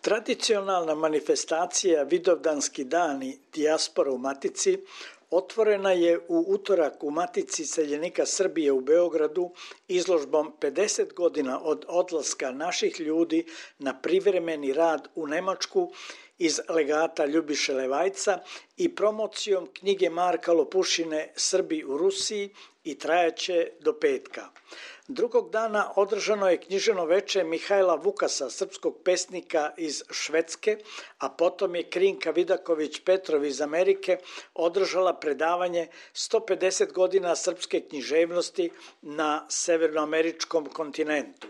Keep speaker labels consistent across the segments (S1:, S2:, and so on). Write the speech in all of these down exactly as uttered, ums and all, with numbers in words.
S1: Tradicionalna manifestacija Vidovdanski dani dijaspora u Matici otvorena je u utorak u Matici iseljenika Srbije u Beogradu izložbom pedeset godina od odlaska naših ljudi na privremeni rad u Nemačku iz legata Ljubiše Levajca i promocijom knjige Marka Lopušine Srbi u Rusiji i trajaće do petka. Drugog dana održano je književno veče Mihajla Vukasa, srpskog pesnika iz Švedske, a potom je Krinka Vidaković Petrov iz Amerike održala predavanje sto pedeset godina srpske književnosti na severnoameričkom kontinentu.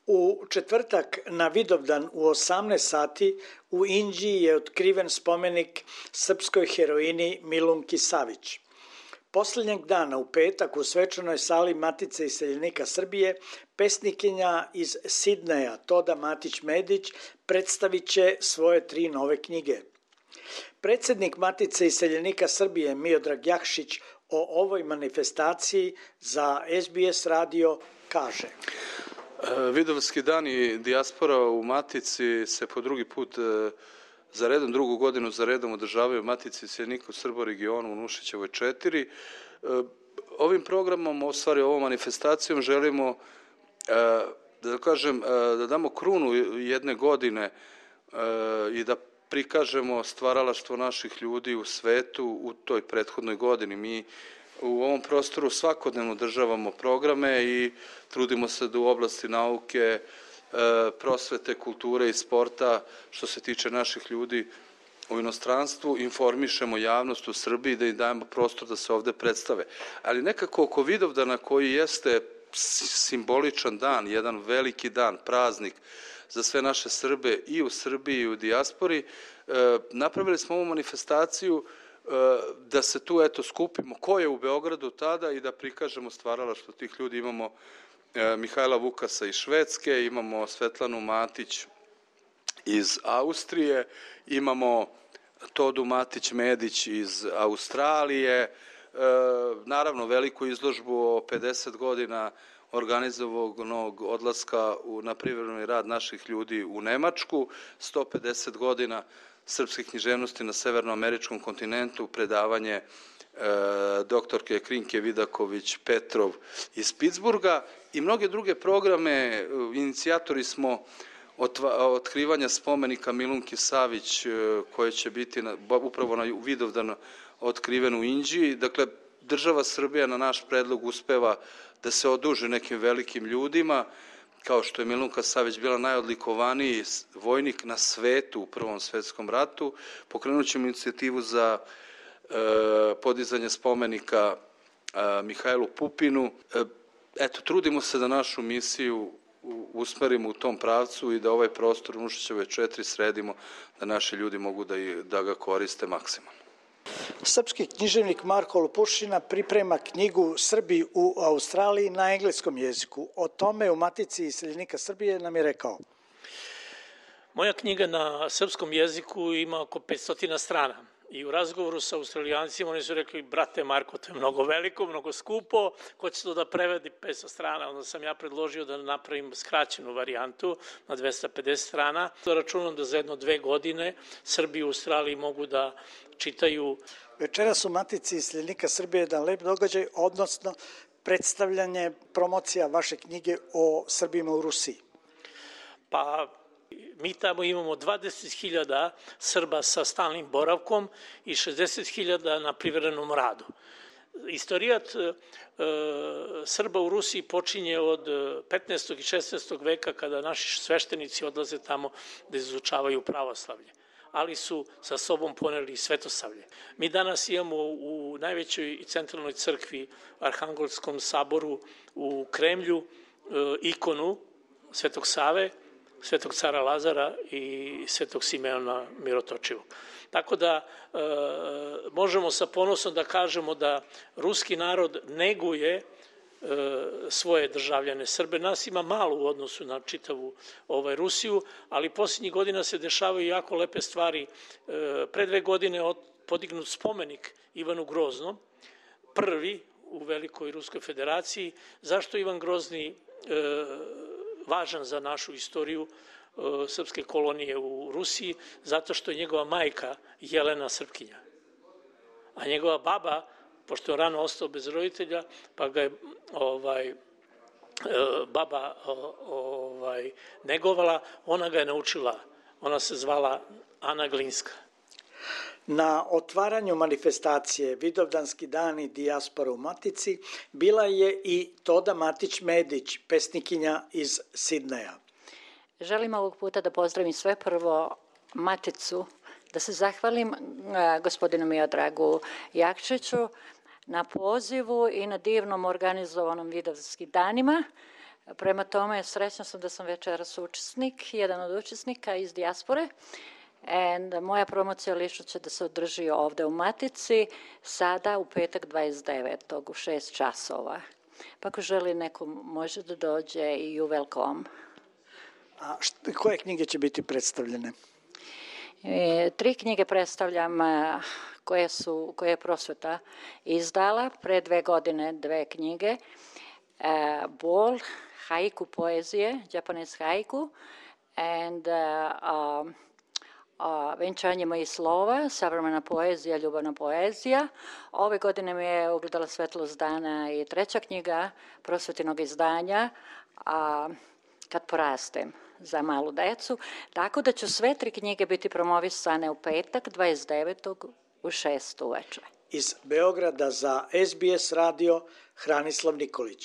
S1: U četvrtak na Vidovdan u osamnaest sati u Inđiji je otkriven spomenik srpskoj heroini Milunki Savić. Poslednjeg dana u petak u svečanoj sali Matice iseljenika Srbije pesnikinja iz Sidneja Toda Matić-Medić predstavit će svoje tri nove knjige. Predsednik Matice iseljenika Srbije Miodrag Jakšić o ovoj manifestaciji za S B S radio kaže:
S2: Vidovdanski dani dijaspora u Matici se po drugi put za redom, drugu godinu za redom održavaju Matici iseljenika u Srba u regionu u Nušićevoj četiri. Ovim programom, u stvari ovom manifestacijom želimo da kažem, da damo krunu jedne godine i da prikažemo stvaralaštvo naših ljudi u svetu u toj prethodnoj godini. Mi u ovom prostoru svakodnevno održavamo programe i trudimo se da u oblasti nauke, prosvete, kulture i sporta, što se tiče naših ljudi u inostranstvu, informišemo javnost u Srbiji, da im dajemo prostor da se ovde predstave. Ali nekako oko Vidovdana, koji jeste simboličan dan, jedan veliki dan, praznik za sve naše Srbe i u Srbiji i u dijaspori, napravili smo ovu manifestaciju da se tu eto skupimo ko je u Beogradu tada i da prikažemo stvaralaštvo tih ljudi. Imamo Mihajla Vukasa iz Švedske, imamo Svetlanu Matić iz Austrije, imamo Todu Matić-Medić iz Australije, naravno veliku izložbu o pedeset godina organizovanog odlaska na privremeni rad naših ljudi u Nemačku, sto pedeset godina srpske književnosti na severnoameričkom kontinentu, predavanje doktorke Krinke Vidaković Petrov iz Pittsburgha i mnoge druge programe. Inicijatori smo otkrivanja spomenika Milunki Savić, koje će biti upravo na Vidovdan otkriven u Inđiji. Dakle, država Srbija na naš predlog uspeva da se oduži nekim velikim ljudima, kao što je Milunka Savić bila najodlikovaniji vojnik na svetu u Prvom svetskom ratu. Pokrenut ćemo inicijativu za podizanje spomenika Mihajlu Pupinu. Eto, trudimo se da našu misiju usmerimo u tom pravcu i da ovaj prostor u Nušićevoj četiri sredimo, da naši ljudi mogu da ga koriste maksimalno.
S1: Srpski književnik Marko Lopušina priprema knjigu Srbi u Australiji na engleskom jeziku. O tome u Matici iseljenika Srbije nam je rekao:
S3: Moja knjiga na srpskom jeziku ima oko petsto strana. I u razgovoru sa Australijancima oni su rekli: brate Marko, to je mnogo veliko, mnogo skupo, ko će to da prevedi petsto strana? Onda sam ja predložio da napravim skraćenu varijantu na dvesta pedeset strana. Računam da za jedno dve godine Srbi u Australiji mogu da čitaju.
S1: Večeras u Matici iseljenika Srbije je jedan lep događaj, odnosno predstavljanje, promocija vaše knjige o Srbima u Rusiji.
S3: Pa mi tamo imamo dvadeset hiljada Srba sa stalnim boravkom i šezdeset hiljada na privremenom radu. Istorijat e, Srba u Rusiji počinje od petnaestog i šesnaestog veka, kada naši sveštenici odlaze tamo da izučavaju pravoslavlje, ali su sa sobom poneli i svetosavlje. Mi danas imamo u najvećoj i centralnoj crkvi, Arhangelskom saboru u Kremlju, e, ikonu Svetog Save, Svetog cara Lazara i Svetog Simeona Mirotočivog. Tako da e, možemo sa ponosom da kažemo da ruski narod neguje e, svoje državljane Srbe. Nas ima malo u odnosu na čitavu ovaj, Rusiju, ali posljednjih godina se dešavaju jako lepe stvari. E, pre dve godine od, podignut spomenik Ivanu Groznom, prvi u Velikoj Ruskoj federaciji. Zašto Ivan Grozni e, važan za našu istoriju? srpske kolonije u Rusiji, zato što je njegova majka Jelena Srpkinja. A njegova baba, pošto je rano ostao bez roditelja, pa ga je ovaj, baba ovaj, negovala, ona ga je naučila. Ona se zvala Ana Glinska.
S1: Na otvaranju manifestacije Vidovdanski dani dijaspora u Matici bila je i Toda Matić-Medić, pesnikinja iz Sidneja.
S4: Želim ovog puta da pozdravim sve prvo Maticu, da se zahvalim gospodinu Miodragu Jakšiću na pozivu i na divnom organizovanom Vidovdanskim danima. Prema tome, srećna sam da sam večeras učesnik, jedan od učesnika iz dijaspore. And moja promocija lično će da se održi ovde u Matici, sada u petak dvadeset devetog u šest časova. Pa ako želi neko može da dođe i you welcome.
S1: A šta, koje knjige će biti predstavljene?
S4: E, tri knjige predstavljam koje, su, koje je Prosveta izdala, pre dve godine dve knjige. E, Bol, haiku poezije, Japanese haiku, and uh, um, A, venčanje mojih slova, savremena poezija, ljubavna poezija. Ove godine mi je ugledala svetlost dana i treća knjiga prosvetinog izdanja, a, Kad porastem, za malu decu. Tako da će sve tri knjige biti promovisane u petak, dvadeset devetog u šest uveče.
S1: Iz Beograda za S B S radio Hranislav Nikolić.